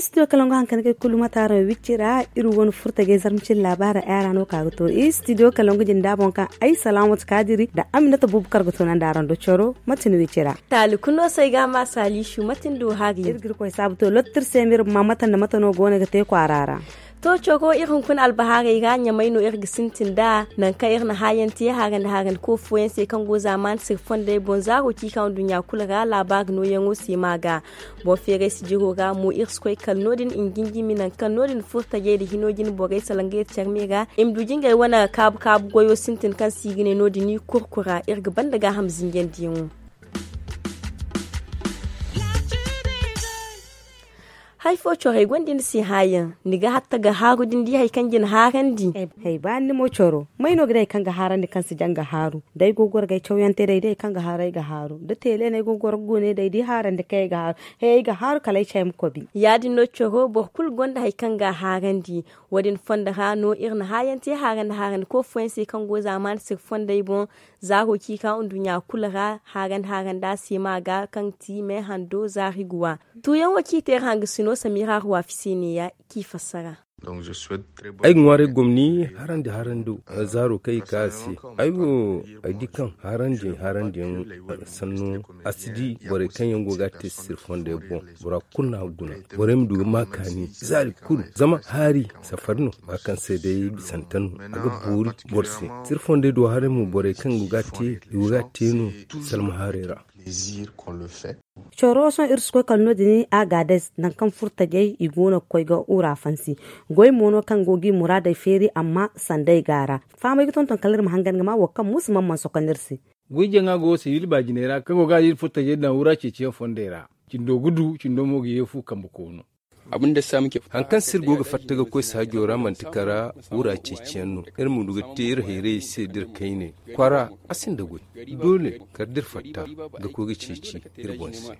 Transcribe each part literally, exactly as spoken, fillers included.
Studio kalangu hankali kay kulu mataaro wicci ra. Iri wane furtajey zarmacin labaara ay ra no ka ga to studio kalangu jinda boŋ kaŋ ay salaamatu kaadiri nda aminata bubakar ga to nanda araŋ do coro mate ni wicci ra. Taali kunno se ay ga ma saalisu mate ni du hari iri ga iri koy saabu to lottir se ma iri ma mate nda mate no go no ga te kwaara ra. To coro iri hunkuna albahaarey ra ɲamay no iri ga sintin nd'a nangu kaŋ iri na haayaŋ te haarandi haarandi ko fooyaŋ se kaŋ go zaamaani sirfondey boŋ zaaro ciika nduɲɲa kulu ra laabaari nooyaŋo se ma ga. Boŋ feeray sijiro ra mo iri si koy kala no- din i ma jinjimi nangu kaŋ no- din furtajey nda hino jine borey salaŋ ga iri care me ra i ma du jingey wane kaabu kaabu goyo sintin kaŋ se i ga ne no- din i kurkura iri ga banda gaaham zinjandiyaŋo. Hari fo coro ay gonda ni se haayaŋ ni ga hatta ga haaru da ni di hari kaŋ ga ni haarandi. Hay ba ni mo coro may no ga day kaŋ ga haarandi kaŋ si jaŋ ga haaru? Day go ga goro ga ay cawyaŋ te day day kaŋ ga haaru ay ga haaru da teele no ay go ga goro ga gune day da i haarandi kaŋ ay ga haaru. Hay ay ga haaru kala ay cay ma kobi. Ya- din no coro boro kulu gonda hari kaŋ ga a haarandi. Wo- din fondo ra no iri na haayaŋ te haarandi haarandi ko fooyaŋ se kaŋ go zaamaani sirfondey boŋ. Zaaro ciika nduɲɲa kulu ra haarandi haarandi a se ma ga kaŋ ti me hando zaari guwa. Tuuyaŋo kaŋ i te iri hangasino samira ruwafi se neeya kaŋ i fassara. Ay ga ŋwaaray gomni harandi harando zaaro kaŋ i ka a se. Ay wo ay di kaŋ harandi harandiyaŋ sanno a si di borey kaŋ yaŋ go ga a te sirfondey boŋ. Bora kulu no a ga guna borey ma du ga ma kaani zaari kulu zama haari safari no ba kaŋ se day bisante no a ga boori boro se. Sirfondey do haray mo borey kaŋ go ga a te i go ga a te no salma haarey ra. Coro sohõ iri si koy kala no- din a ga a day nangu kaŋ furtajey i go no ga koy ga wura fansi. Goy mo no kaŋ go ga i muraadey feeri amma sanda ay ga a ra. Fahamay ga tonton kala iri ma hangan ga ma wo kaŋ muusu mana mana sokonda iri se. Goy jaŋa go sibil baajiney ra kaŋ go ga a da iri furtajey daŋ wura ceeciyaŋ fondey ra. Cindo ga du cindo mo ga yeefu kambe koono. Hari kaŋ se iri go ga fatta ga koy saajo ra manti kara wura ceeciyaŋ no. Iri ma du ga te iri hayrayey se da iri kayne kwaara a sinda goy. Doole kala da iri fatta ga koy ga ceeci iri boŋ se.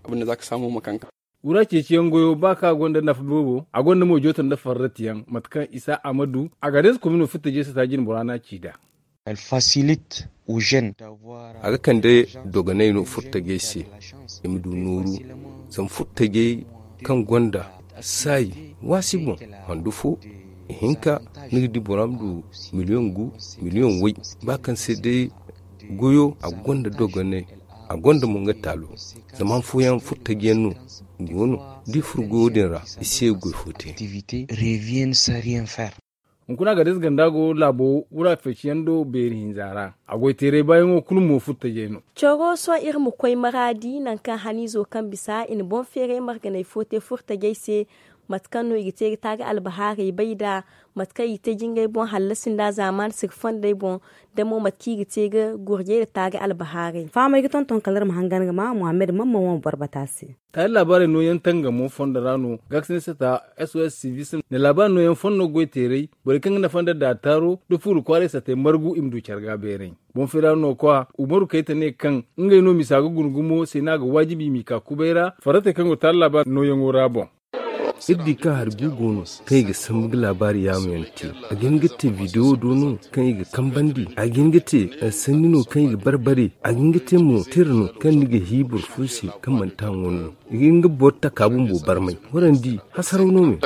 Wura ceeciyaŋ goyo ba kaŋ a gonda nafa boobo a gonda mo jooto nda farratiyaŋ mate kaŋ isa a ma du a ga day se komino furtajey se ta jine bora no a ci nd'a. A ga kande dogonay no furtajey se i ma du nooru. Zama furtajey kaŋ gonda saayi waasi boŋ handu fo ihinka ni ga di bora ma du miliyoŋ gu miliyoŋ way. Ba kaŋ se day goyo a gonda dogonay a gonda mo nga taalo. Zama han fooyaŋ furtajiyaŋ no go no da i furo goyo din ra i si ye ga goy fo te. Hunkuna ga day se ganda go laabo wura feeciyaŋ do beeri hinza ra. A goy teeray baayaŋo kulu mo furtajey no. Coro sohõ iri ma koy maraadi nangu kaŋ haniizo kaŋ bisa i na boŋ feeray marganay fo te furtajey se. Mate kaŋ no i ga te ga taari albahaarey bay nd'a mate kaŋ i ga te jingay boŋ hallasi nd'a zaamaani sirfondey boŋ. Da mo mate kaŋ i ga te ga gurjey nda taari albahaarey. Fahamay ga tonton kala iri ma hangan ga ma muhammad mamman wane boro bata se. Taari laabaarey nooyaŋ tangamo fondo ra no gaakasine sata s o s civis na laabaari nooyaŋ fondo goy teeray. Borey kaŋ ga nafa nda daataaro da fuuru kwaaray satey margu i ma du care ga beeray. Boŋ feera no kwa umaru kayta ne kaŋ ngey no misa ga guna gumo se no a ga waajibi i m'i ka kubay ra farratey kaŋ go taari laabaari nooyaŋo ra boŋ. Iri di kaŋ hari gu go no kaŋ i ga sambu ga laabaari yaamu yaŋ te. A ga hin ga te bidewo do no kaŋ i ga kambandi a ga hin ga te sanni no kaŋ i ga barbare. A ga hin ga te mo tira no kaŋ ni ga hi boro fo se kaŋ manti haŋo no. I ga hin ga boro taka bumbo barmay. Warandi hasaraw no me.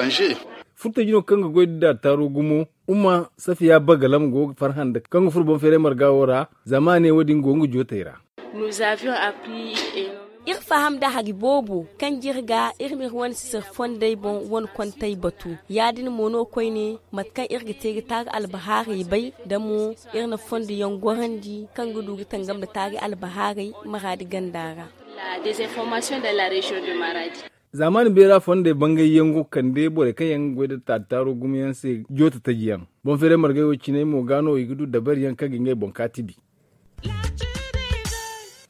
Furtaji no kaŋ ga goy da daataaro gumo umma safiya bagalam go ga farhã nda kaŋ ga furo boŋ feeray marga wo ra. Zama a ne wo- din go nga jootey ra. Iri faham nda hari boobo kaŋ jire ga iri ma iri wane sisir fondey boŋ wane kontey batu. Ya- din mo no koyne mate kaŋ iri ga te ga taari albahaarey bay nda mo iri na fondo yaŋ gorandi kaŋ ga du ga tangam nda taari albahaarey maraadi ganda ra. Zaamaani beera fondey bangay yaŋ go ga kande borey kaŋ yaŋ ga goy nda taataaro gumo yaŋ se jooto taji yaŋ. Boŋ feeray margay wo cinay mo ga no i ga du dabari yaŋ kaŋ ga ngey boŋ kaatibi.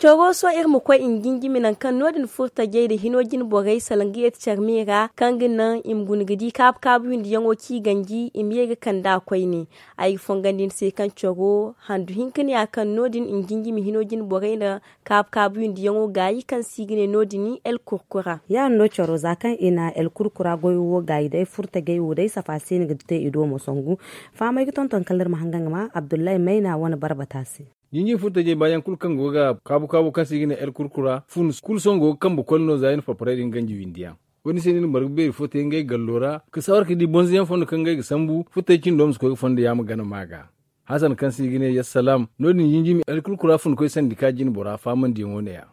Coro sohõ iri ma koy i na jinjimi nangu kaŋ no- din furo tajey nda hino jine borey salaŋ ga yeeti care me ra kaŋ ga naŋ i ma guna ga di kaabu kaabu windiyaŋo kaŋ i ganji i ma ye ga kand'a koyne. Ay ga fongandi ni se kaŋ coro handu hinka ne ya kaŋ no- din i na jinjimi hino jine borey nda kaabu kaabu windiyaŋo gaayi kaŋ se i ga ne no- din el kurkura. Ya- din no coro za kaŋ i na el kurkura goyo wo gaayi day furo tajey wo day safa se ni ga te i do mo sangu. Fahamey ga tonton kala iri ma hangan ga ma abdullahi mayna wane barbata se. Jinjin furtajey baayaŋ kulu kaŋ go ga kaabu kaabu kaŋ se i ga ne el kurkura fun kulu sohõ go ga kambe koli no za i na parparey din ganji windiyaŋ. Wo- din se no i na marga beeri fo te ngey gallo ra ka sawar ka di bonzoyaŋ fondo kaŋ ngey ga sambu furtajey cindo ma si koy ga fondo yaama gana ma ga. Hasan kaŋ se i ga ne yassalam no- din jinjimi el kurkura fun koy sandika jine bora faamandiyaŋo ne- ya.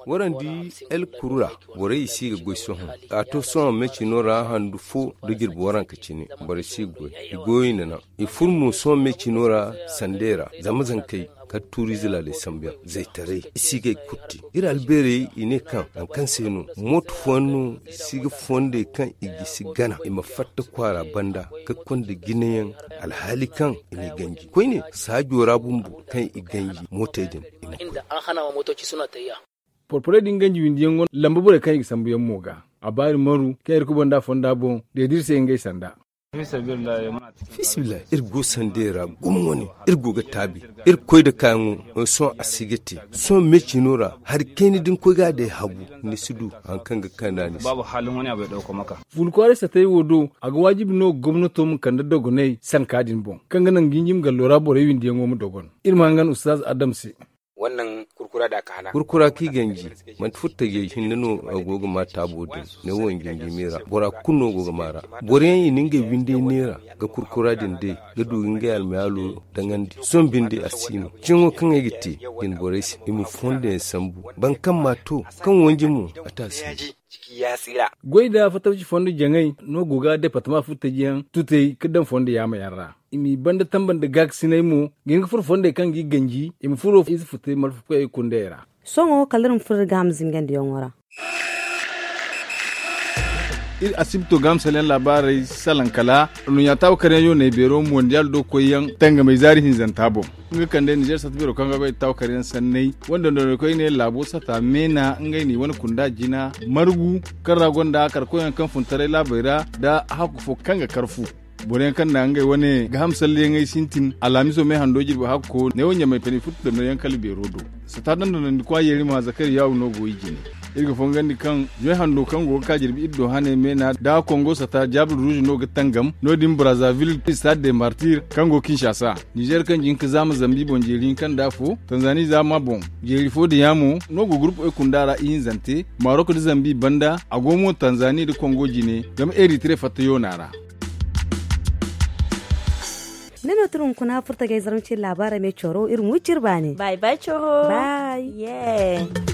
Warandi el kurura borey i si ga goy sohõ. A to sohõ me cino ra handu fo da jirbi waranka cine borey si ga goy. I goyo i na naŋ i furo mo sohõ me cino ra sandey ra zama zankey kala tuuriize laaley sambuyaŋ zaytaray i si ga ay kurti. Iri albeerey i ne kaŋ nangu kaŋ se no mooto fooyaŋ no i si ga fondey kaŋ i gisi gana i ma fatta kwaara banda ka konda jinayaŋ alhaali kaŋ i n'i ganji koyne saajo ra bumbo kaŋ i ganji mootey din. Porporey din ganji windiyaŋ go lamba borey kaŋ i ga sambuyaŋ mo ga a baari maru kaŋ iri kubanda fonda boŋ deediri se ngey sanda. Fiisabilillahi iri go sandey ra gumo wane. Iri go ga taabi iri koy nda kaayaŋo sohõ a si ga te. Sohõ me cino ra hari kayna da ni koy ga a day habu ni si du hari kaŋ ga kande a ni se. Fulkwaaray satey wo do a ga waajibi no gomnato ma kande dogoney sanka din boŋ kaŋ ga naŋ jinjim gallo ra borey windiyaŋo ma dogon. Iri ma hangan ustaz adam se. Kurkura kaŋ i ganji manti furtajey hinne no a go ga ma taabo din. Ne wo jinjimi ra bora kulu no go ga ma ra. Boro yaŋ i na ngey windey neera ga kurkura din day ga du ga ngey almayaalo daŋandi sohõ binde a si no. Ciyaŋo kaŋ ay ga te jine borey se i ma fondo yaŋ sambu boro kaŋ ma to kaŋ wanji mo a te a si no. Goy nda fattaci fondo jaŋay no go ga departama furtajiyaŋ tutey ga daŋ fondo yaama yaŋ ra. I m'i banda tamba nda gaakasinay mo ga hin ga furo fondey kaŋ g'i ganji i ma furo ize futey malfakoyey kundey ra. Sohõ kala iri ma furo iri ga ham zingandiyaŋo ra. Iri asibto ga ham salaŋ laabaarey salaŋ kala annuɲɲa taawakaryaŋ yooney beero mondiyaal do koyyaŋ tangamey zaari hinzanta boŋ. Nga kande nizer sata beero kaŋ ga bay taawakaryaŋ sanney wanda noney koyne laabo sata meena ngey n'i wane kunda jina margu kaŋ ra gonda karkoyaŋ kaŋ fun taray laabey ra nda hakku fo kaŋ ga kar fu. Boroyaŋ kaŋ na ngey wane ga ham salleyaŋey sintin alhamiso me hando jirbi hakko ne wo ɲamay pene furtu dondonyaŋ kala beero do. Sata dondonandi kwa yeeri ma zakari yaawu no go i jine. Iri ga fongandi kaŋ ɲoy hando kaŋ go ga ka jirbi iddo hane meena da kongo sata jabul ruuzu no ga tangam no- din brazzaville stade de martir kaŋ go kinshasa. Nizer kaŋ jin ka zaama zambi boŋ jeeri hinka nda afo tanzani zaama boŋ jeeri fo da yaamo no go gurpu e kunda ra ihinzante marok da zambi banda a go mo tanzani da kongo jine zama eritre fatta yoona ra. Ne no tun hunkuna furta ga ay zarma ciri laabaara me coro iri ma wi ciri baani. Bay bay coro. Bay.